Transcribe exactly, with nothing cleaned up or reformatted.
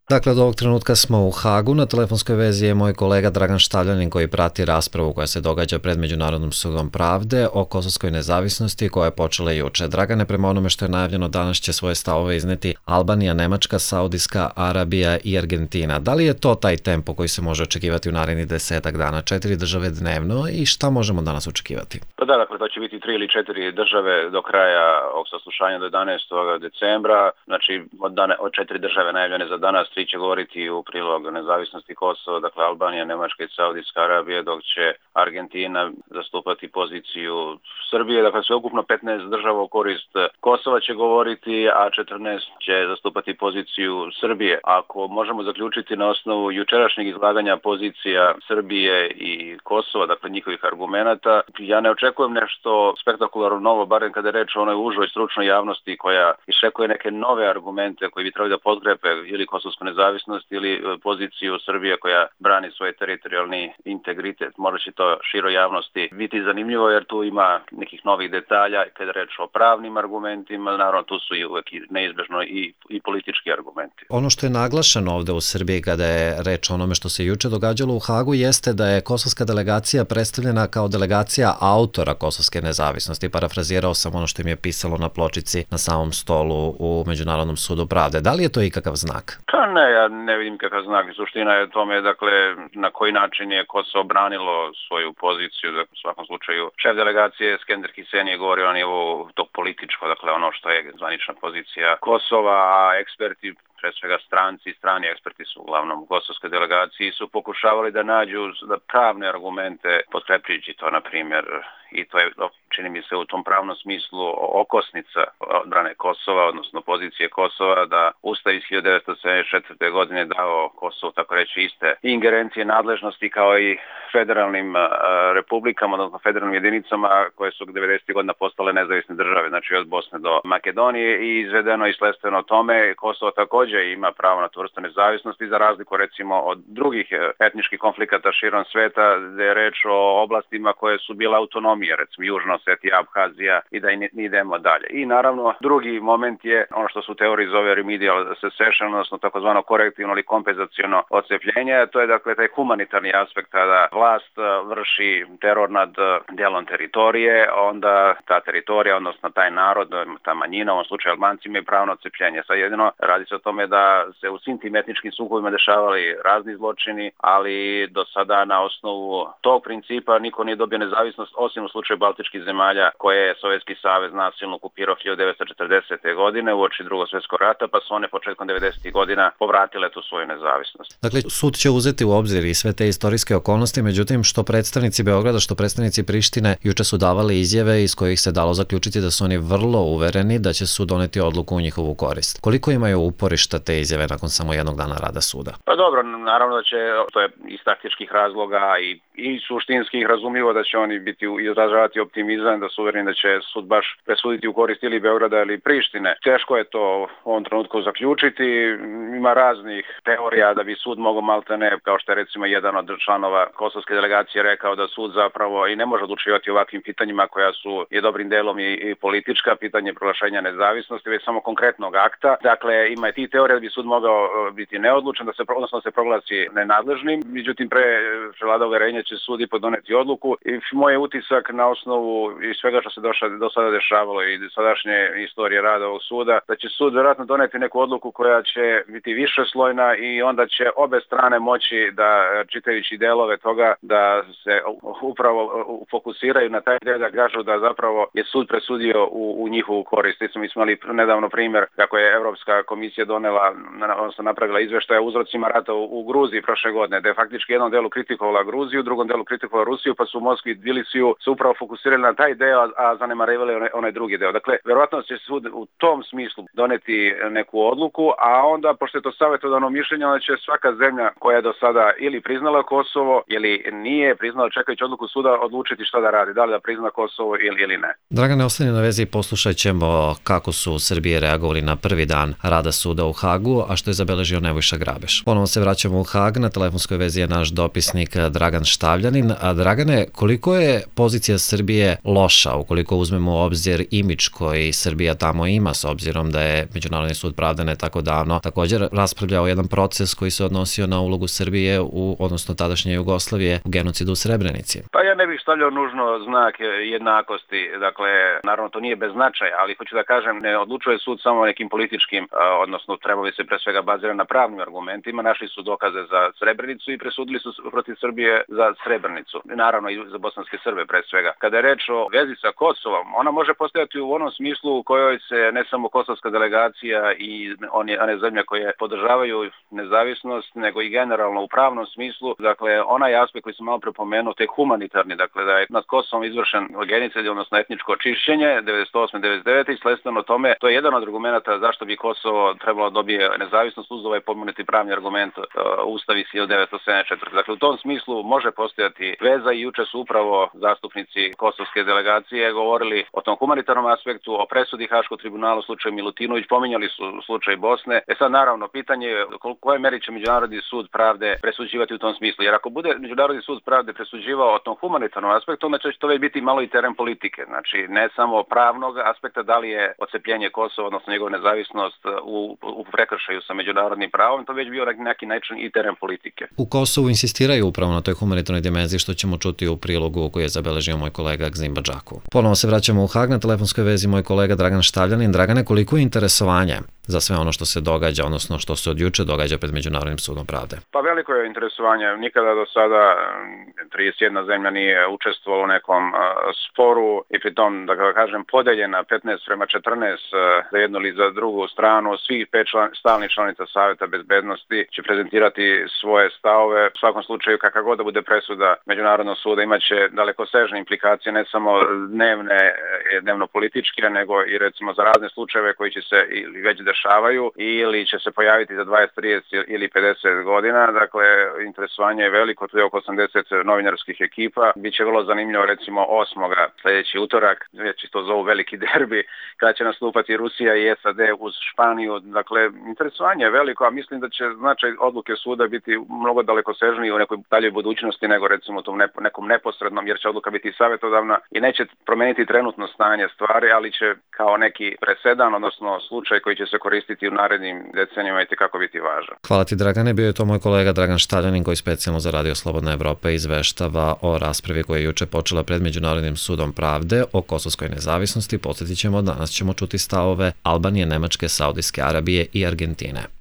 Dakle, od ovog trenutka smo u Hagu. Na telefonskoj vezi je moj kolega Dragan Štavljanin koji prati raspravu koja se događa pred Međunarodnim sudom pravde o kosovskoj nezavisnosti koja je počela juče. Dragane, prema onome što je najavljeno, danas će svoje stavove izneti Albanija, Nemačka, Saudijska Arabija i Argentina. Da li je to taj tempo koji se može očekivati u narednih desetak dana? Četiri države dnevno i šta možemo danas očekivati? Pa da, dakle, to će biti tri ili četiri države do kraja ovog saslušanja do jedanaestog decembra. Znači, od, dane, od četiri države najavljene za danas, tri će govoriti u prilog nezavisnosti Kosova, dakle Albanija, Nemačka i Saudijska Arabija, dok će Argentina zastupati poziciju Srbije. Dakle, sveukupno petnaest država u korist Kosova će govoriti, a četrnaest će zastupati poziciju Srbije. Ako možemo zaključiti na osnovu jučerašnjeg izlaganja pozicija Srbije i Kosova, dakle njihovih argumenata, ja ne očekujem nešto spektakularno novo, barem kada je reč o onoj užoj stručnoj javnosti koja iščekuje neke nove argumente koji bi trebali da podkrepe ili kosovsku nezavisnost ili poziciju Srbije koja brani svoj teritorijalni integritet. Možda će to široj javnosti biti zanimljivo jer tu ima nekih novih detalja kada je reč o pravnim argumentima, naravno tu su i uvek neizbežno i, i politički argumenti. Ono što je naglašeno ovde u Srbiji kada je reč o onome što se juče događalo u Hagu jeste da je kosovska delegacija predstavljena kao delegacija autora kosovske nezavisnosti. Parafrazirao sam ono što im je pisalo na pločici na samom stolu u Međunarodnom sudu pravde. Da li je to ikakav znak? Pa ne, ja ne vidim kakav znak. Suština je tome, dakle, na koji način je Kosovo branilo svoju poziciju. Dakle, u svakom slučaju, šef delegacije Skender Hiseni je govorio na nivou tog političko, dakle, ono što je zvanična pozicija Kosova, a eksperti, pre svega stranci, strani eksperti su uglavnom u kosovskoj delegaciji, su pokušavali da nađu da pravne argumente potkrepljujući to, na primjer, i to je, čini mi se, u tom pravnom smislu okosnica odbrane Kosova, odnosno pozicije Kosova, da Ustav iz hiljadu devetsto sedamdeset četvrte. godine dao Kosovu, tako reći, iste ingerencije, nadležnosti kao i federalnim uh, republikama, odnosno federalnim jedinicama koje su devedesetih godina postale nezavisne države, znači od Bosne do Makedonije, i izvedeno i sledstveno tome Kosovo također ima pravo na tu vrstu nezavisnosti, za razliku recimo od drugih etničkih konflikata širom sveta, gde je reč o oblastima koje su bile autonomije, recimo Južna Osetija, Abhazija, i da i idemo dalje. I naravno drugi moment je ono što su u teoriji zove remedial secession, odnosno takozvano korektivno ili kompenzaciono odcepljenje. To je dakle taj humanitarni aspekt kada vlast vrši teror nad dijelom teritorije, onda ta teritorija, odnosno taj narod, ta manjina, u ovom slučaju Albanci, imaju pravo na odcepljenje. Sad jedino radi se o tome da se u svim tim etničkim sukobima dešavali razni zločini, ali do sada na osnovu tog principa niko nije dobio nezavisnost, osim u slučaju baltičkih zemalja koje je Sovjetski savez nasilno okupirao hiljadu devetsto četrdesete. godine uoči Drugog svjetskog rata, pa su one početkom devedesetih. godina povratile tu svoju nezavisnost. Dakle, sud će uzeti u obzir i sve te istorijske okolnosti, međutim, što predstavnici Beograda, što predstavnici Prištine juče su davali izjave iz kojih se dalo zaključiti da su oni vrlo uvereni da će sud doneti odluku u njihovu korist. Koliko imaju uporišta te izjave nakon samo jednog dana rada suda? Pa dobro, naravno da će, to je iz taktičkih razloga i, i suštinskih, razumljivo da će oni biti izražavati optimizam, da su uvereni da će sud baš presuditi u korist ili Beograda ili Prištine. Teško je to u ovom trenutku zaključiti. Ima raznih teorija da bi sud mogao maltene, kao što je recimo jedan od članova kosovske delegacije rekao da sud zapravo i ne može odlučivati o ovakvim pitanjima koja su je dobrim delom i, i politička, pitanje proglašenja nezavisnosti, već samo konkretnog akta. Dakle, ima i ti teorija da bi sud mogao biti neodlučan, da se, odnosno da se proglasi nenadležnim, međutim pre prevlada uverenja će sud i podoneti odluku. I moj je utisak na osnovu i svega što se došla, do sada dešavalo i sadašnje istorije rada ovog suda, da će sud vjerojatno doneti neku odluku koja će biti više slojna i onda će obe strane moći da, čitajući delove toga, da se upravo fokusiraju na taj del, da kažu da zapravo je sud presudio u, u njihovu korist. Mi smo imali nedavno primjer kako je Evropska komisija donela, odnosno napravila izveštaje o uzrocima rata u, u Gruziji prošle godine, da je faktički jednom delu kritikovala Gruziju, drugom delu kritikovala Rusiju, pa su u Moskvi i Tbilisiju se upravo fokusirali na taj deo, a zanemarivali onaj, onaj drugi deo. Dakle, verovatno će sud u tom smislu doneti neku odluku, a onda, pošto je to savjetodavno mišljenje, onda će svaka zemlja koja je do sada ili priznala Kosovo ili nije priznala, čekajući odluku suda, odlučiti šta da radi, da li da prizna Kosovo ili, ili ne. Dragane, ostani na vezi i poslušat ćemo kako su u Srbiji reagovali na prvi dan rada suda u Hagu, a što je zabeležio Nebojša Grabeš. Ponovo se vraćamo u Hag, na telefonskoj vezi je naš dopisnik Dragan Štavljanin. A Dragane, koliko je pozicija pozicija Srbije loša, ukoliko uzmemo u obzir imidž koji Srbija tamo ima, s obzirom da je Međunarodni sud pravde ne tako davno također raspravljao jedan proces koji se odnosio na ulogu Srbije, u, odnosno tadašnje Jugoslavije, u genocidu u Srebrenici? Pa ja ne bih stavljao nužno znak jednakosti, dakle, naravno to nije bez značaja, ali hoću da kažem, ne odlučuje sud samo nekim političkim, odnosno trebali se pre svega bazirati na pravnim argumentima, našli su dokaze za Srebrenicu i presudili su protiv Srbije za Srebrenicu, naravno i za bosanske Srbe pre svega. Kada je reč o vezi sa Kosovom, ona može postojati u onom smislu u kojoj se ne samo kosovska delegacija i one, one zemlje koje podržavaju nezavisnost, nego i generalno u pravnom smislu, dakle, onaj aspekt koji sam malo prepomenuo, te humanitarni, dakle, da je nad Kosovom izvršen genocid, odnosno etničko očišćenje devedeset osme devedeset devete i sledstveno tome, to je jedan od argumenta zašto bi Kosovo trebalo dobije nezavisnost uz ovaj pomenuti pravni argument uh, Ustav iz hiljadu devetsto sedamdeset četvrte. Dakle, u tom smislu može postojati veza i juče su upravo zastupnici kosovske delegacije govorili o tom humanitarnom aspektu, o presudi Haškog tribunala u slučaju Milutinović, pominjali su slučaj Bosne. E sad, naravno, pitanje je u kojoj meri će Međunarodni sud pravde presuđivati u tom smislu. Jer ako bude Međunarodni sud pravde presuđivao o tom humanitarnom aspektu, onda će to već biti malo i teren politike. Znači, ne samo pravnog aspekta, da li je odcepljenje Kosova, odnosno njegova nezavisnost u, u prekršaju sa međunarodnim pravom, to već bio neki način i teren politike. U Kosovu insistiraju upravo na toj humanitarnoj dimenziji, što ćemo čuti u prilogu koji je zabeležio moj kolega Gzim Badžaku. Ponovo se vraćamo u Hag, na telefonskoj vezi moj kolega Dragan Štavljanin. Dragane, koliko je interesovanje za sve ono što se događa, odnosno što se od juče događa pred Međunarodnim sudom pravde? Pa veliko je interesovanje. Nikada do sada trideset jedna zemlja nije učestvovala u nekom uh, sporu i pritom, da kažem, podeljena petnaest prema četrnaest uh, za jednu ili za drugu stranu. Svih pet član, stalnih članica Saveta bezbednosti će prezentirati svoje stavove. U svakom slučaju, kakva god da bude presuda Međunarodnog suda, imaće dalekosežne implikacije, ne samo dnevne, dnevno političke, nego i recimo za razne slučajeve koji će se ili već dešavaju ili će se pojaviti za dvadeset, trideset ili pedeset godina. Dakle, interesovanje je veliko, tu je oko osamdeset novinarskih ekipa. Biće vrlo zanimljivo recimo osmoga sljedeći utorak, već to zovu veliki derbi, kada će nastupati Rusija i S A D uz Španiju. Dakle, interesovanje je veliko, a mislim da će značaj odluke suda biti mnogo dalekosežniji u nekoj daljoj budućnosti nego recimo u tom nekom neposrednom, jer će odluka biti savjetodavna i neće promeniti trenutno stanje stvari, ali će kao neki presedan, odnosno slučaj koji će se koristiti u narednim decenijama i kako biti važan. Hvala ti, Dragane. Bio je to moj kolega Dragan Štavljanin, koji specijalno za Radio Slobodna Evropa izveštava o raspravi koja je juče počela pred Međunarodnim sudom pravde o kosovskoj nezavisnosti. Podsjetit ćemo, danas ćemo čuti stavove Albanije, Nemačke, Saudijske Arabije i Argentine.